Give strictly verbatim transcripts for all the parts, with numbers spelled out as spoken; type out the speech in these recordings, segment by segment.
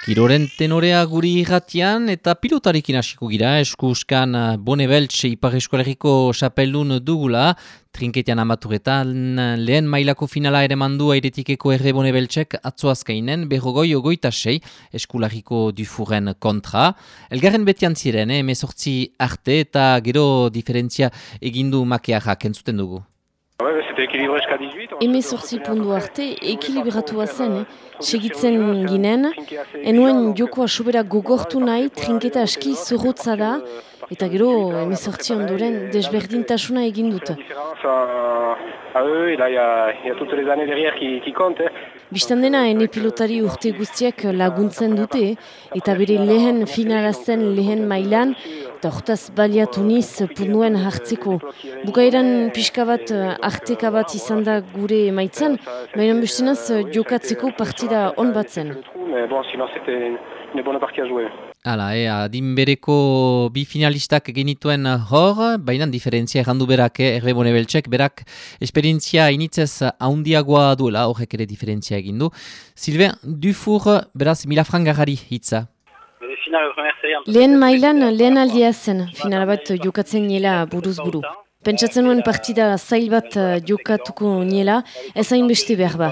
Kiroren tenorea guri irratian eta pilotarekin hasiko gira, eskuskan Bonebeltz Ipar Eskolegiko xapeldun dugula, trinketean amaturetan lehen mailako finala ere mandu airetikeko erre Bonebeltzek atzoazkainen berrogoi ogoita sei eskulariko Dufourren kontra. Elgarren betian ziren, eh, emezortzi arte eta gero diferentzia egindu makearrak entzuten dugu. Hemezortzi pundu arte, ekilibratua zen, eh? Segitzen ginen, enuen jokoa sobera gogortu nahi, trinketa aski zorrotza da, eta gero hemezortzi ondoren desberdintasuna egin dut. Bistan dena, ene pilotari urte guztiak laguntzen dute, eta bere lehen finalazen lehen mailan, eta hortaz baliatu niz punduen hartzeko. Bukaeran pixka bat arteka bat izan da gure emaitzan, baina bestenaz jokatzeko partida on bat zen. Hala, eh, adin bereko bi finalistak genituen hor, baina diferentzia errandu berak, eh, erre Bonebeltzek, berak esperientzia initzez haundiagoa duela, horrek ere diferentzia egindu. Sylvain Dufour, beraz, mila frangarari hitza. Lehen mailan, lehen aldia zen, final bat jokatzen niela buruz buru. Pentsatzen nuen partida zail bat jokatuko niela, ez hain beste behar ba.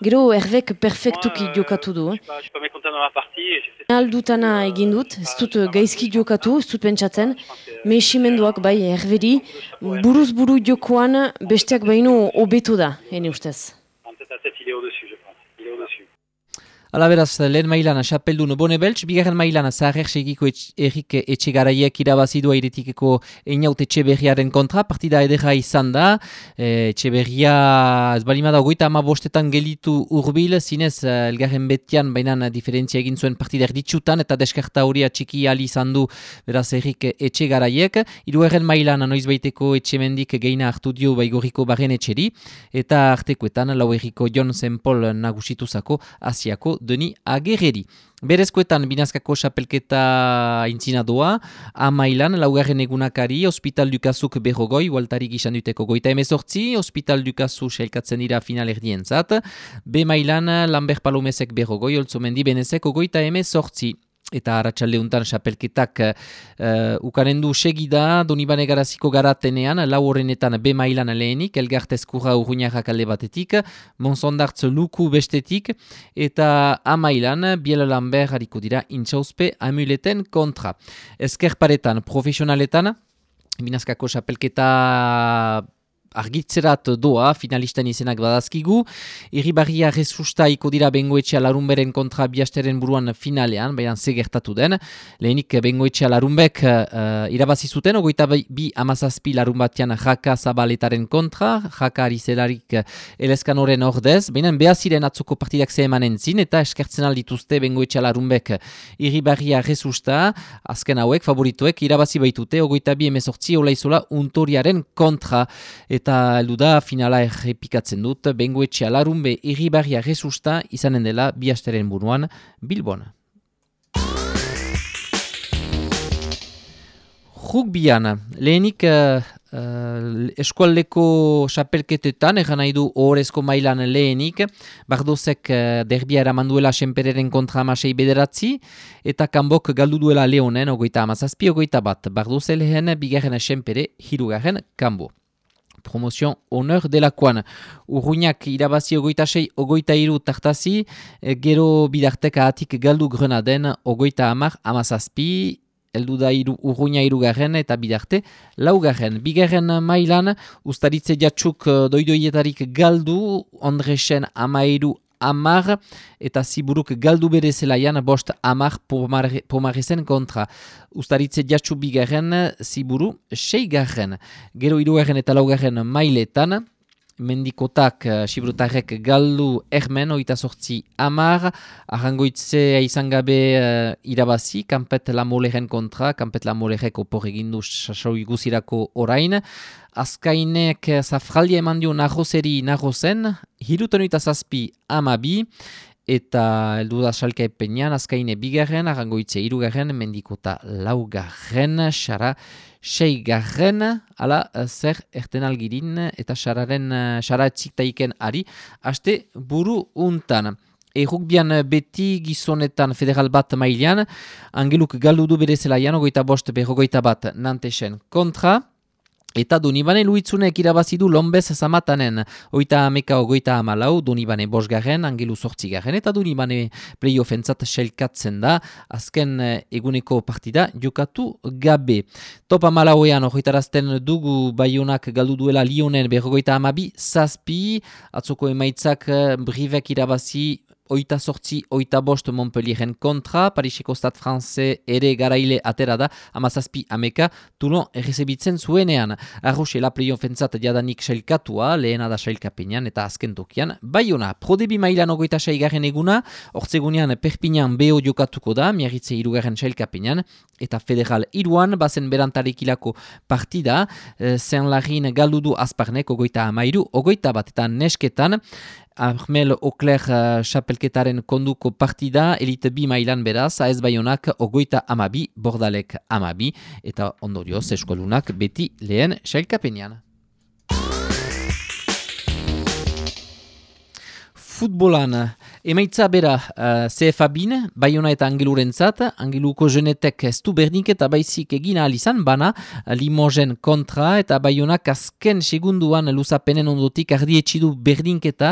Gero erbek perfektuki jokatu du. Aldutana egin dut, ez dut gaizki jokatu, ez dut pentsatzen, mehimenduak bai erberi, buruz buru jokoan besteak baino hobetu da, ene ustez. Hala beraz, lehen mailan xapeldun Bonebeltz, bigarren mailan Zaharrer segiko Erik Etxegaraiek irabazidu airetikeko Einaut Etxeberriaren kontra, partida edera izan da, e, Etxeberria ez balimada ogoita ama bostetan gelitu urbil, zinez elgarren betian bainan diferentzia egin zuen partida erditsutan, eta deskarta hori atxiki ali izan du beraz Erik Etxegaraiek, hirugarren mailan noizbaiteko Etxemendik geina hartu dio baigorriko barren etxeri, eta artekoetan lau erriko Jon Zenpol nagusituzako Asiako Deni Agerreri. Berezkoetan binazkako xapelketa intzina doa, amailan laugarren egunakari, Hospital Dukazuk berrogoi, ualtari gizan duteko goita emezortzi, Hospital Dukazu sailkatzen dira final erdientzat, B mailan Lambert Palomezek berrogoi, Oltzomendi Benezek goita emezortzi. Eta arratsaldeuntan xapelketak uh, ukanen du segida, Donibane Garaziko garatenean, lau horrenetan B mailan lehenik, Elgartezkurra Urruñarrak alde batetik, Monsondartz Luku bestetik, eta A mailan, Biel Lambert hariko dira intxauzpe amuleten kontra. Ezkerparetan, profesionaletan, binazkako xapelketa argitzerat doa, finalistan izenak badazkigu. Irribarria resusta iko dira Bengoetxea Larunberen kontra Biasteren buruan finalean, baina ze gertatu den. Lehenik Bengoetxea Larunbek uh, irabazi zuten, ogoita bi amazazpi Larunbatian Jaka Zabaletaren kontra, Jaka Arizelarik eleskanoren ordez, baina behaziren atzoko partidak ze emanen zin, eta eskertzen aldituzte Bengoetxea Larunbek Irribarria resusta, azken hauek, favorituek, irabazi baitute, ogoita bi emezortzi olaizola untoriaren kontra. Eta heldu da finala errepikatzen dut, Bengoetxea Larunbe Irribarria resusta izanen dela Biasteren buruan Bilbon. Rugbian, lehenik uh, uh, eskualdeko xapelketetan, egan nahi du ohorezko mailan lehenik, Bardozek uh, derbia eramanduela Senpereren kontra amasei bederatzi, eta Kanbok galdu duela Leonen, ogoita amazazpi, ogoita bat, Bardoze lehen, bigarren Senpere, hirugarren Kanbo. Promozion honor delakoan. Urruñak irabazi ogoita sei, ogoita iru tartazi, gero bidarteka atik galdu Grenaden, ogoita amar, amazazpi, eldu da iru, Urruña irugarren eta bidarte laugarren. Bigarren mailan, ustaritze jatsuk doidoietarik galdu, Ondresen amairu amar, eta Ziburuk galdu bere zelaian bost amar Pomarezen kontra. Ustaritze jatsu bigarren, Ziburu seigarren. Gero hirugarren eta laugarren mailetan, Mendikotak, Sibrutarrek galdu ermen, oita sortzi amar, arrangoitze izan gabe uh, irabazi, Kampet Lamoleren kontra, Kampet Lamolerek opor egindu sasoi guzirako orain. Azkainek zafraldia eman dio narrozeri narrozen, hirutan oita zazpi amabi, eta heldu da salka epenean, Azkaine bigarren, arrangoitze hirugarren, Mendikota laugarren, xara seigarren, ala zer erten algirin, eta xararen xara etzik taiken ari, haste buru untan. Errukbian beti gizonetan federal bat mailan, Angeluk galdu du bere zelaian, ogoita bost berrogoita bat Nantesen kontra, eta Donibane Luitzunek irabazidu Lombez Zamatanen, oita ameka ogoita amalau, Donibane bosgarren, Angelu sortzigarren, eta Donibane playoffentzat selkatzen da, azken eguneko partida jokatu gabe. Top amalauean horretarazten dugu Baionak galdu duela Lyonen berrogoita amabi, zazpi, atzoko emaitzak Brivek irabazi, oita sortzi, oita bost Montpellieren kontra, Pariseko Stade Francais ere garaile atera da, amazazpi ameka, Toulon errezebitzen zuenean. Arroxela playoffentzat jadanik sailkatua, lehena da sailkapenean eta azken tokian. Baiona, Prodebi mailan ogoita saigarren eguna, ortzegunean Perpignan beho jokatuko da, Miarritze irugarren sailkapenean, eta federal iruan, bazen berantarekilako partida, Saint-Larin galdudu azparnek ogoita amairu, ogoita bat eta nesketan, Armel Okler uh, xapelketaren konduko partida, elite bi mailan beraz, A S Baionak ogoita amabi, Bordalek amabi, eta ondorioz eskualunak beti lehen sailkapenean. Futbolan, emaitza bera uh, C F A bin, Baiona eta Angelurentzat, Angeluko jenetek ez du berdinketa baizik egin ahal izan, bana Limogen kontra, eta Baionak azken segunduan luzapenen ondotik ardietxidu berdinketa,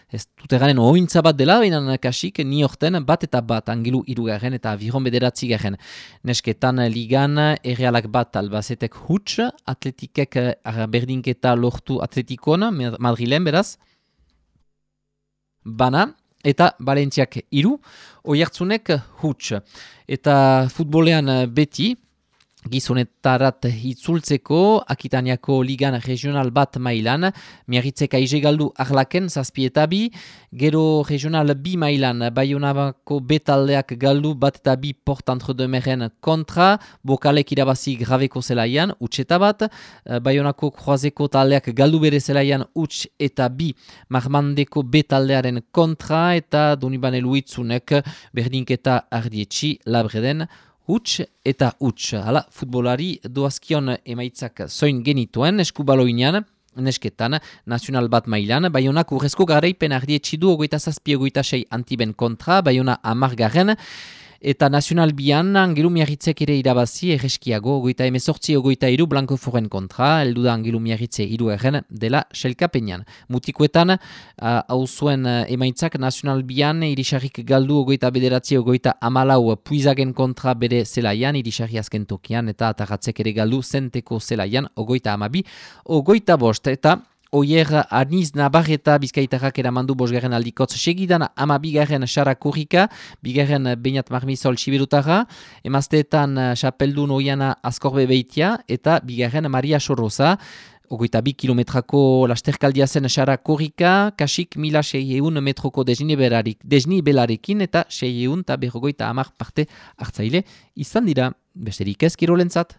ez dut eganen ointza bat dela, baina kasik ni horten bat eta bat Angelu irugarren eta Aviron bederatzi garen. Nesketan ligan errealak bat Albacetek huts, atletikek berdinketa lortu atletikon, Madrilen beraz, bana, eta Valentziak iru, Oiartzunek huts. Eta futbolean beti, gizonetarat hitzultzeko, Akitaniako ligan regional bat mailan, Miarritzek aize galdu arlaken zazpi eta bi, gero regional bi mailan, Baionabako betaldeak galdu bat eta bi Port Entre-Deux-Meren kontra, Bokalek irabazi grabeko zelaian, huts eta bat, Baionako kroazeko taldeak galdu bere zelaian huts eta bi, Marmandeko betaldearen kontra, eta Donibane Luitzunek berdinketa ardietxi labreden, huts eta huts. Hala, futbolari doazkion emaitzak zoin genituen, eskubaloinean, nesketan, nazional bat mailan, Baionak urrezko garaipen ardietxidu ogoita zazpi ogoita sei Antiben kontra, Baiona amargarren, eta nazional bian, Angelu Miarritzek ere irabazi, erreskiago, ogoita emezortzi ogoita iru, Blanco Foren kontra, eldu da Angelu Miarritze iru erren dela selkapenean. Mutikoetan, hau uh, zuen uh, emaitzak, nazional bian, irisarrik galdu ogoita bederatzi ogoita amalau puizagen kontra bere zelaian, irisarri azken tokian, eta atarratzek ere galdu zenteko zelaian, ogoita amabi, ogoita bost, eta Oier Aniz Nabarreta Bizkaitarrak eramandu bosgarren aldikotz segidan ama bigarren Sara Kurrika, bigarren Beñat Marmisol Siberutara, emazteetan Xapeldun Oiana Azkorbe Beitia eta bigarren Maria Sorroza. Ogoita bi kilometrako lasterkaldia zen Sara Kurrika, kasik mila seieun metroko desnibelarekin eta seieun eta berrogoita amar parte hartzaile izan dira. Besterik ez kirolentzat.